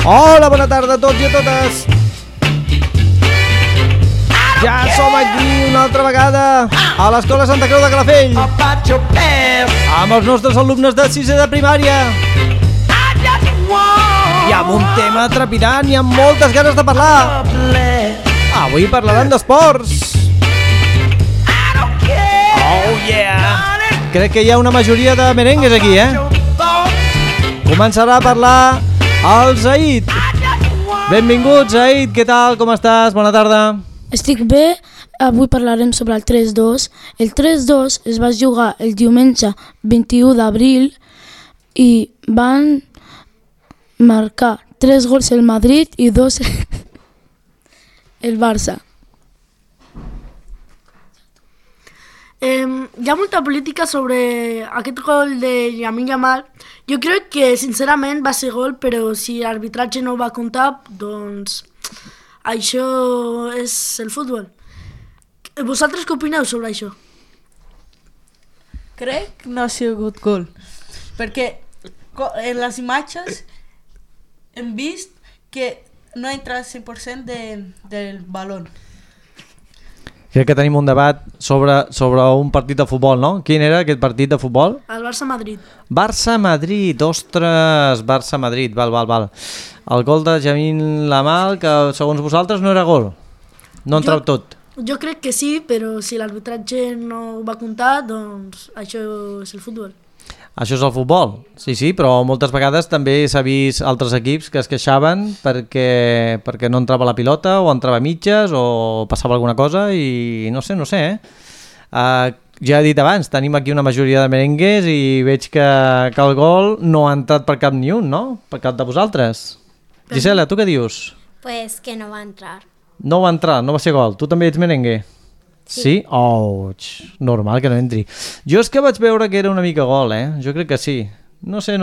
Hola, bona tarda a tots i a totes. Ja som aquí una altra vegada a l'Escola Santa Creu de Calafell amb els nostres alumnes de 6è de primària i amb un tema trepidant i amb moltes ganes de parlar. Avui parlaran d'esports. Oh yeah! Crec que hi ha una majoria de merengues aquí, Començarà a parlar el Zaid. Benvingut, Zaid, què tal, com estàs? Bona tarda. Estic bé, avui parlarem sobre el 3-2. El 3-2 es va jugar el diumenge 21 d'abril i van marcar 3 gols el Madrid i 2 el Barça. Hi ha molta política sobre aquest gol de Lamine Yamal. Jo crec que sincerament va ser gol, però si l'arbitratge no ho va comptar, doncs això és el futbol. Vosaltres què opineu sobre això? Crec que no ha sigut gol, perquè en les imatges hem vist que no ha entrat 100% del balón. Crec que tenim un debat sobre un partit de futbol, no? Quin era aquest partit de futbol? El Barça-Madrid. Barça-Madrid, ostres, Barça-Madrid, val. El gol de Lamine Yamal, que segons vosaltres no era gol. No entrau tot. Jo crec que sí, però si l'arbitratge no ho va comptar, doncs això és el futbol. Això és el futbol, sí, però moltes vegades també s'ha vist altres equips que es queixaven perquè no entrava la pilota o entrava a mitges o passava alguna cosa i no sé, ja he dit abans, tenim aquí una majoria de merengues i veig que el gol no ha entrat per cap ni un, no? Per cap de vosaltres. Gisela, tu què dius? Pues que no va entrar. No va entrar, no va ser gol. Tu també ets merengue? Sí? Oh, normal que no entri. Jo és que vaig veure que era una mica gol, Jo crec que sí. No sé.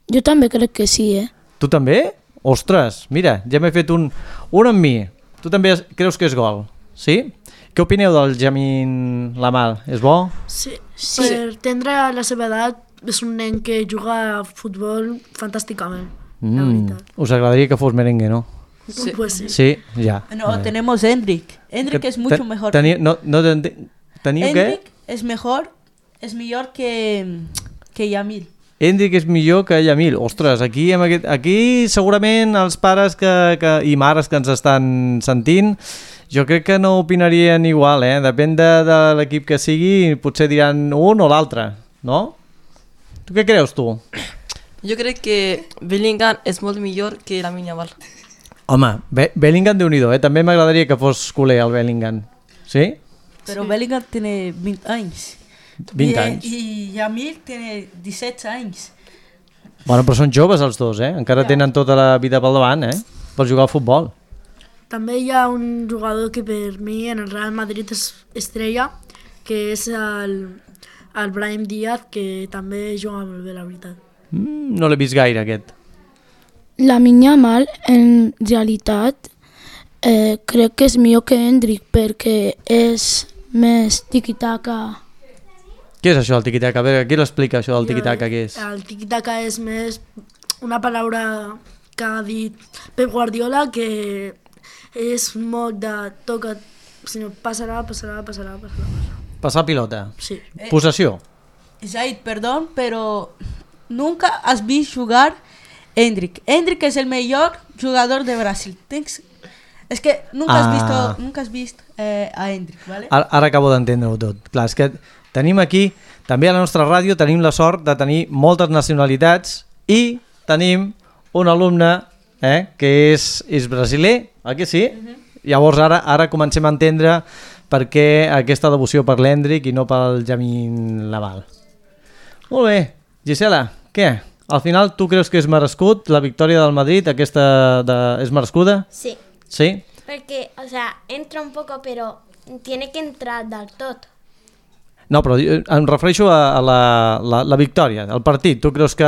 Jo també crec que sí, Tu també? Ostres, mira, ja m'he fet un amb mi. Tu també creus que és gol? Sí? Què opineu del Lamine Yamal? És bo? Sí. Per tindre la seva edat és un nen que juga a futbol fantàsticament, la veritat. Us agradaria que fos merengue, no? Sí. Pues sí. Sí, ya. No, tenemos Endrick. Endrick es mucho mejor. Endrick es mejor que Yamil. Endrick és millor que Yamil. Ostres, aquí segurament els pares i mares que ens estan sentint, jo crec que no opinarien igual, Depèn de l'equip que sigui, potser diran un o l'altre, no? Tu què creus, tu? Jo crec que Bellingham és molt millor que Lamine Yamal. Home, Bellingham déu-n'hi-do, També m'agradaria que fos culer el Bellingham. Sí? Pero sí. Bellingham tiene 20 anys. 20 anys. I Yamil tiene 17 anys. Bueno, però són joves els dos, Encara tenen tota la vida pel davant, Per jugar al futbol. També hi ha un jugador que per mi en el Real Madrid és estrella, que és el Brahim Díaz, que també juga molt bé, la veritat. No l'he vist gaire, aquest. Lamine Yamal, en realitat, crec que és millor que Endrick perquè és més tiki-taka. Què és això del tiki-taka? A veure, qui l'explica això del tiki-taka, què és? El tiki-taka és més una paraula que ha dit Pep Guardiola, que és molt de toca, sinó passarà. Passar pilota. Sí. Possessió. Zaid, perdón, pero nunca has vist jugar Endrick. Endrick es el mejor jugador de Brasil. Es que nunca has visto a Endrick, ¿vale? Ara acabo d'entendre-ho tot. Clar, és que tenim aquí, també a la nostra ràdio, tenim la sort de tenir moltes nacionalitats i tenim un alumne que és brasiler, oi que sí? Llavors ara comencem a entendre per què aquesta devoció per l'Endrick i no pel Lamine Yamal. Molt bé, Gisela, què? Al final, tu creus que és merescut la victòria del Madrid? ¿Es merescuda? Sí. Sí? Porque, entra un poco, pero tiene que entrar del tot. No, però em refereixo a la victòria, al partit. Tu creus que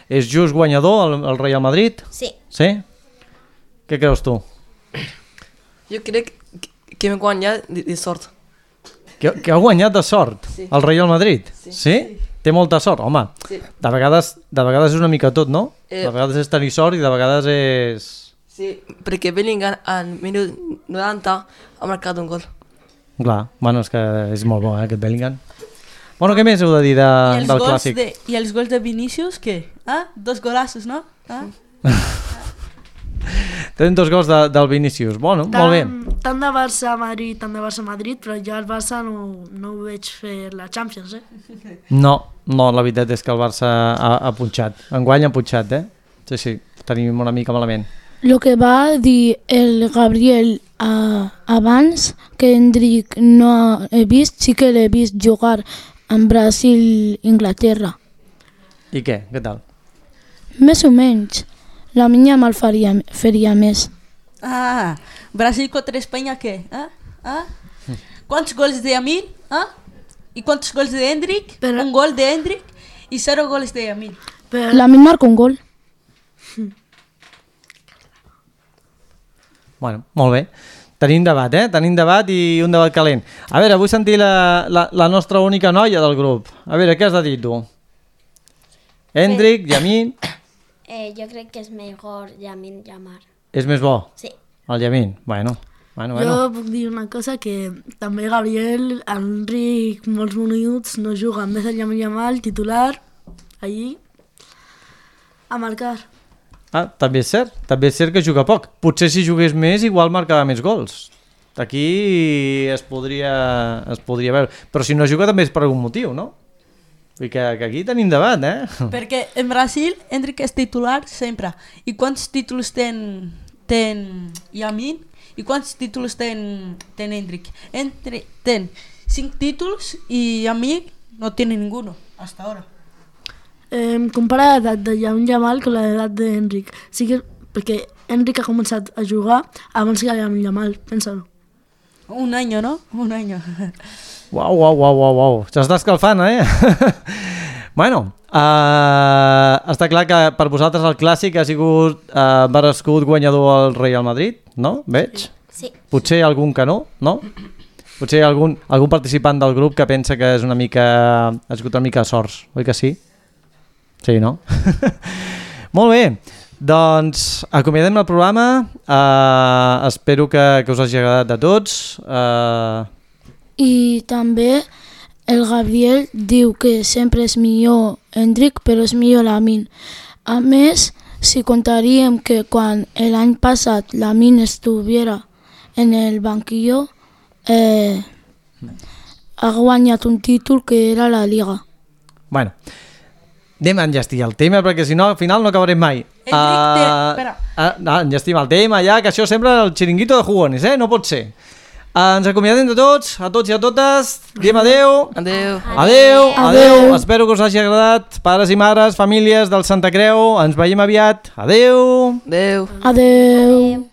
és just guanyador el Real Madrid? Sí. Sí? Què creus tu? Jo crec que hem guanyat de sort. Que ha guanyat de sort el Real Madrid? Sí? té molta sort, home. Sí. De vegades és una mica tot, no? Eh. De vegades és tenir sort i de vegades és... Sí, perquè Bellingham al minut 90 ha marcat un gol. Clar, bueno, és que és molt bo, aquest Bellingham. Bueno, què més heu de dir del clàssic? I els gols de Vinícius, què? Ah? 2 golazos, no? Ah? Tenen 2 gols del Vinícius. Bueno, molt bé. Tant de Barça-Madrid, però jo el Barça no ho veig fer la Champions, No, la veritat és que el Barça ha punxat. Enguany ha punxat, Sí, tenim una mica malament. Lo que va dir el Gabriel abans, que Endrick no he vist, sí que l'he vist jugar en Brasil-Inglaterra. I què? Què tal? Més o menys. La minya mal faria més. Ah, Brasil contra Espanya, què? ¿Cuántos goles de Yamin? ¿Y cuántos goles de Endrick? Pero- Un gol de Endrick y 0 goles de Yamin. Però Lamin marca un gol. Bueno, molt bé. Tenim debat, Tenim debat i un debat calent. A veure, vull sentir la nostra única noia del grup. A veure, què has de dir tu? Endrick, Yamin... Yo creo que es mejor Yamin Yamal. És més bo, Sí. el Yamin. Bueno. jo puc dir una cosa, que també Gabriel, Enric, molts minuts no juga, en vez de Yamin Yamal, titular, allí, a marcar. Ah, també és cert que juga poc. Potser si jugués més igual marcava més gols. Aquí es podria veure. Però si no juga també és per algun motiu, no? Vull dir que aquí tenim debat, Perquè en Brasil Endrick és titular sempre. I quants títols ten Yamin? I quants títols ten Endrick? Endrick ten 5 títols i Yamin no tiene ninguno hasta ahora. Compara l'edat de Yamin Yamal con l'edat d'Enric. Sí que, perquè Enric ha començat a jugar abans que Yamin Yamal, pensa-ho. Un año, ¿no? Un año. Uau. S'està escalfant, Bueno, està clar que per vosaltres el clàssic ha sigut merescut guanyador el Real Madrid, no? Veig? Sí. Potser algun que no? Potser algun participant del grup que pensa que ha sigut una mica de sorts, oi que sí? Sí, no? Molt bé, doncs acomiadem el programa, espero que us hagi agradat a tots. I també el Gabriel diu que sempre és millor Endrick, però és millor Lamin. A més, si contaríem que quan l'any passat Lamin estuviera en el banquillo, ha guanyat un títol que era la Liga. Bueno, anem a enllestir el tema perquè si no al final no acabarem mai. Enllestim el tema ja, que això sembla el xiringuito de jugones, no pot ser. Ens acomiadem de tots i a totes, diem adeu. Adeu. Espero que us hagi agradat, pares i mares, famílies del Santa Creu, ens veiem aviat. Adeu. Adeu.